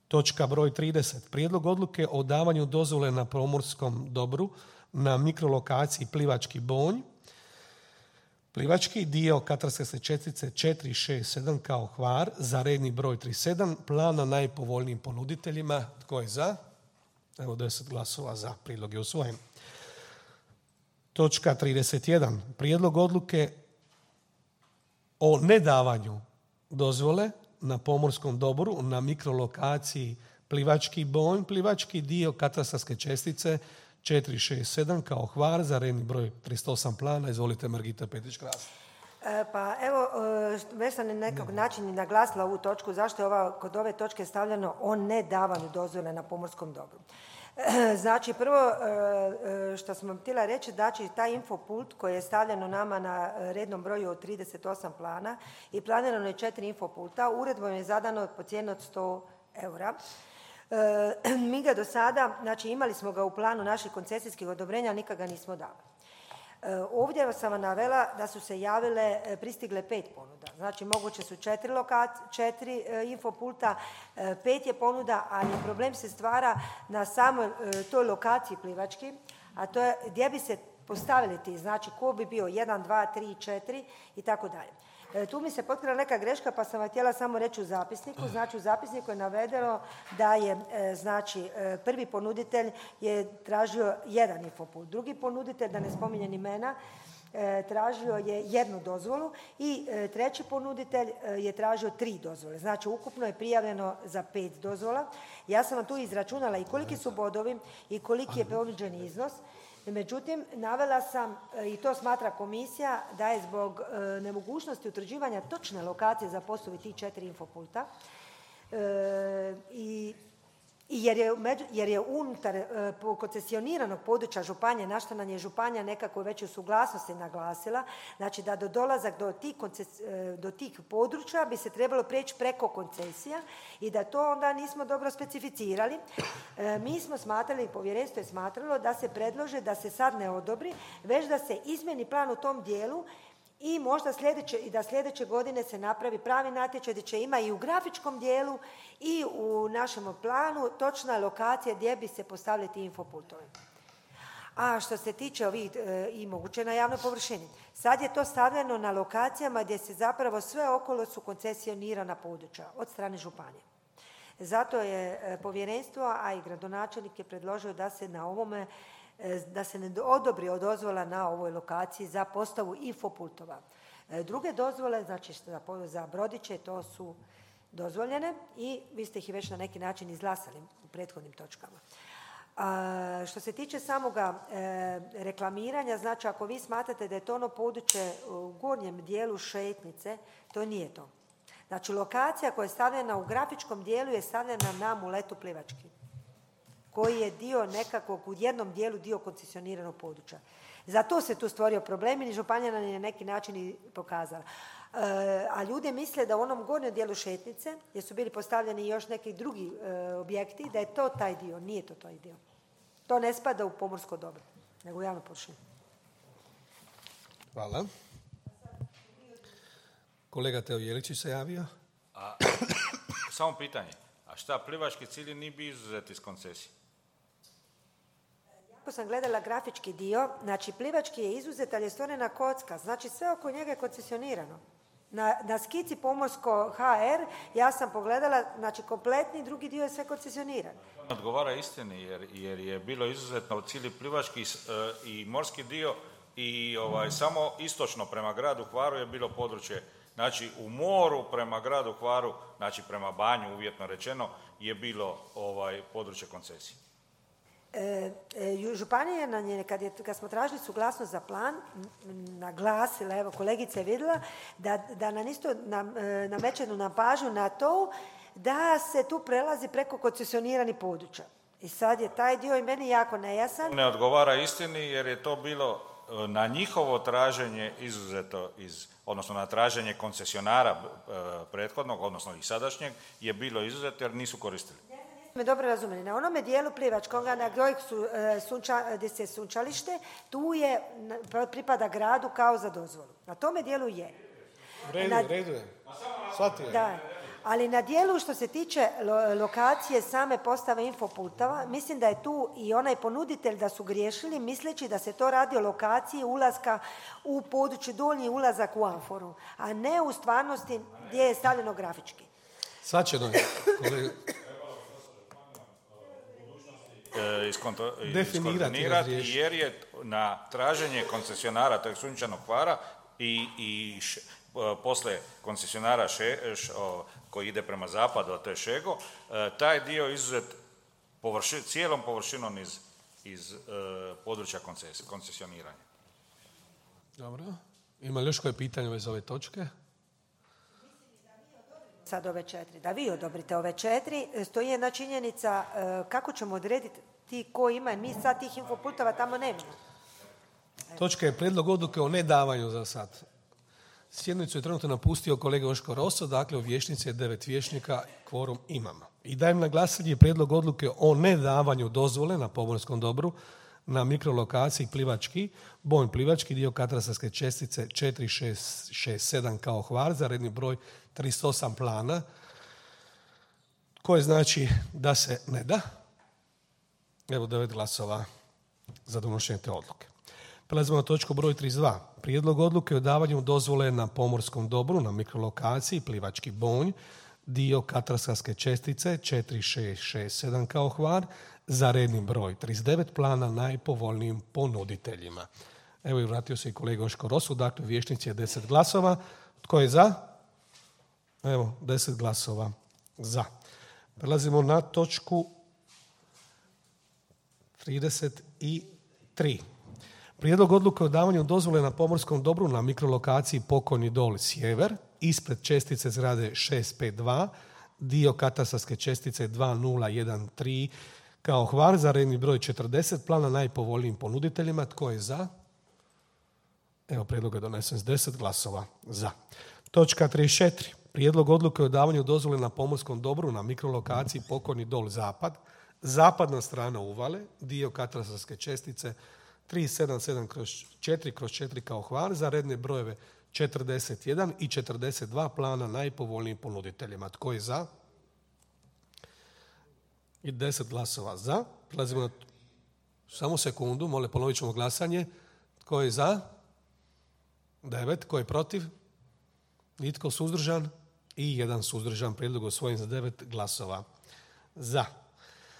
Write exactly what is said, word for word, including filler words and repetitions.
Točka broj trideset. Prijedlog odluke o davanju dozvole na pomorskom dobru na mikrolokaciji Plivački Bonj. Plivački dio katastarske čestice četiri šest sedam kao Hvar za redni broj trideset sedam. Plan na najpovoljnijim ponuditeljima. Tko je za? Evo deset glasova za. Prijedlog je usvojen. Točka trideset jedan. Prijedlog odluke o nedavanju dozvole na pomorskom dobru na mikrolokaciji Plivački Bonj, Plivački dio katastarske čestice četiri šest sedam kao Hvar za redni broj trideset osam plana. Izvolite, Margita Petić-Kras. E, pa evo, e, već sam na nekog način naglasila ovu točku, zašto je ova, kod ove točke stavljeno o nedavanju dozvole na pomorskom dobru. E, znači, prvo e, što sam vam htjela reći, znači taj infopult koji je stavljeno nama na rednom broju od trideset osam plana i planirano je četiri infopulta, uredbom je zadano po cijenu od sto eura. E, mi ga do sada, znači imali smo ga u planu naših koncesijskih odobrenja, nikad ga nismo dali. E, ovdje sam vam navela da su se javile, e, pristigle pet ponuda. Znači moguće su četiri, lokac, četiri e, infopulta, e, pet je ponuda, ali problem se stvara na samoj e, toj lokaciji Plivački, a to je gdje bi se postavili ti, znači ko bi bio jedan, dva, tri, četiri i tako dalje. E, tu mi se potkrila neka greška, pa sam vam htjela samo reći u zapisniku. Znači u zapisniku je navedeno da je e, znači e, prvi ponuditelj je tražio jedan infopult, drugi ponuditelj, da ne spominjem imena, e, tražio je jednu dozvolu i e, treći ponuditelj e, je tražio tri dozvole. Znači ukupno je prijavljeno za pet dozvola. Ja sam vam tu izračunala i koliki su bodovi i koliki je ponuđeni iznos. Međutim, navela sam, i to smatra komisija, da je zbog e, nemogućnosti utvrđivanja točne lokacije za postavu tih četiri infopulta e, i I jer je, jer je unutar e, koncesioniranog područja županije, na što nam je županija nekako već u suglasnosti naglasila, znači da do dolazak do tih, konces, e, do tih područja bi se trebalo preći preko koncesija i da to onda nismo dobro specificirali. E, mi smo smatrali, povjerenstvo je smatralo da se predlože da se sad ne odobri, već da se izmjeni plan u tom dijelu i možda sljedeće, i da sljedeće godine se napravi pravi natječaj gdje će ima i u grafičkom dijelu i u našem planu točna lokacija gdje bi se postavili ti infopultovi. A što se tiče ovih e, i moguće na javnoj površini, sad je to stavljeno na lokacijama gdje se zapravo sve okolo su koncesionirana područja od strane županije. Zato je e, povjerenstvo, a i gradonačelnik je predložio da se na ovome da se ne odobri dozvola na ovoj lokaciji za postavu infopultova. Druge dozvole, znači za brodiće, to su dozvoljene i vi ste ih već na neki način izglasali u prethodnim točkama. A, što se tiče samoga e, reklamiranja, znači ako vi smatrate da je to ono područje u gornjem dijelu šetnice, to nije to. Znači lokacija koja je stavljena u grafičkom dijelu je stavljena na Muletu Plivački, koji je dio nekakvog, u jednom dijelu dio koncesioniranog područja. Zato se tu stvorio problem i županija nam je na neki način i pokazala. E, a ljudi misle da u onom gornjem dijelu šetnice, gdje su bili postavljeni još neki drugi e, objekti, da je to taj dio. Nije to taj dio. To ne spada u pomorsko dobro, nego u javnu površinu. Hvala. Kolega Teo Jeličić se javio. A, samo pitanje. A šta, Plivački cilj nije bi izuzet iz koncesije? Ako sam gledala grafički dio, znači Plivački je izuzet, ali je stvorena kocka. Znači sve oko njega je koncesionirano. Na, na skici pomorsko ha er ja sam pogledala, znači kompletni drugi dio je sve koncesioniran. Odgovara istini jer, jer je bilo izuzetno u cijeli Plivački uh, i morski dio i ovaj, samo istočno prema gradu Hvaru je bilo područje. Znači u moru prema gradu Hvaru, znači prema Banju uvjetno rečeno, je bilo ovaj, područje koncesije. E, e, županija nam je, kad, je, kad smo tražili suglasnost za plan, naglasila, evo kolegica je vidjela, da, da nam isto nam, e, namećenu na pažnju na to da se tu prelazi preko koncesioniranih područja. I sad je taj dio i meni jako nejasan. Ne odgovara istini jer je to bilo na njihovo traženje izuzeto iz, odnosno na traženje koncesionara e, prethodnog, odnosno i sadašnjeg, je bilo izuzeto jer nisu koristili. Me dobro razumjeli. Na onome dijelu Plivačkoga na kojeg su e, sunča, gdje se sunčalište, tu je pripada gradu kao za dozvolu. Na tome dijelu je. U redu, na, redu je. Shvatio je. Da. Ali na dijelu što se tiče lo- lokacije same postave infoputova, mislim da je tu i onaj ponuditelj da su griješili misleći da se to radi o lokaciji ulaska u područje donji ulazak u amforu, a ne u stvarnosti gdje je stavljeno grafički. Sad će doći, kolega. E, iskonto- Definirati, iskoordinirati, razriješiti. jer je na traženje koncesionara tog Sunčanog Hvara i, i š, e, posle koncesionara še, š, o, koji ide prema zapadu, a to je Šego, e, taj dio izuzet površi, cijelom površinom iz, iz e, područja konces, koncesioniranja. Dobro. Ima li još koje pitanje već za ove točke? Sad ove četiri. Da vi odobrite ove četiri, stoji jedna činjenica e, kako ćemo odrediti ti ko ima, mi sad tih infoputova tamo nemamo. Točka je prijedlog odluke o nedavanju za sad. Sjednicu je trenutno napustio kolega Joško Roso, dakle u vijećnici je devet vijećnika, kvorum imamo. I dajem na glasanje prijedlog odluke o nedavanju dozvole na pomorskom dobru na mikrolokaciji Plivački, Bonj Plivački, dio katastarske čestice četiri šest šest sedam kao Hvar za redni broj trideset osam plana, koje znači da se ne da. Evo devet glasova za donošenje te odluke. Prelazimo na točku broj trideset dva. Prijedlog odluke o davanju dozvole na pomorskom dobru na mikrolokaciji Plivački Bonj, dio katastarske čestice četiri šest šest sedam kao Hvar za redni broj trideset devet plana najpovoljnijim ponuditeljima. Evo i vratio se i kolega Joško Rosu, dakle vijećnici je deset glasova. Tko je za? Evo, deset glasova za. Prelazimo na točku trideset tri. Prijedlog odluke o davanju dozvole na pomorskom dobru na mikrolokaciji Pokojni dol Sjever, ispred čestice zgrade šest pet dva, dio katastarske čestice dva nula jedan tri kao Hvar za redni broj četrdeset plana najpovoljnijim ponuditeljima. Tko je za? Evo, prijedlog je donesen s deset glasova za. Točka trideset četiri. Prijedlog odluke o davanju dozvole na pomorskom dobru na mikrolokaciji Pokojni dol Zapad, zapadna strana uvale, dio katastarske čestice tri sedam sedam kroz četiri kroz četiri kao Hvar za redne brojeve četrdeset jedan i četrdeset dva plana najpovoljnijim ponuditeljima. Tko je za? I deset glasova za. Prelazimo na... Samo sekundu, molim, ponovit ćemo glasanje. Tko je za? devet. Tko je protiv? Nitko suzdržan? I jedan suzdržan. Prijedlog osvojen za devet glasova za.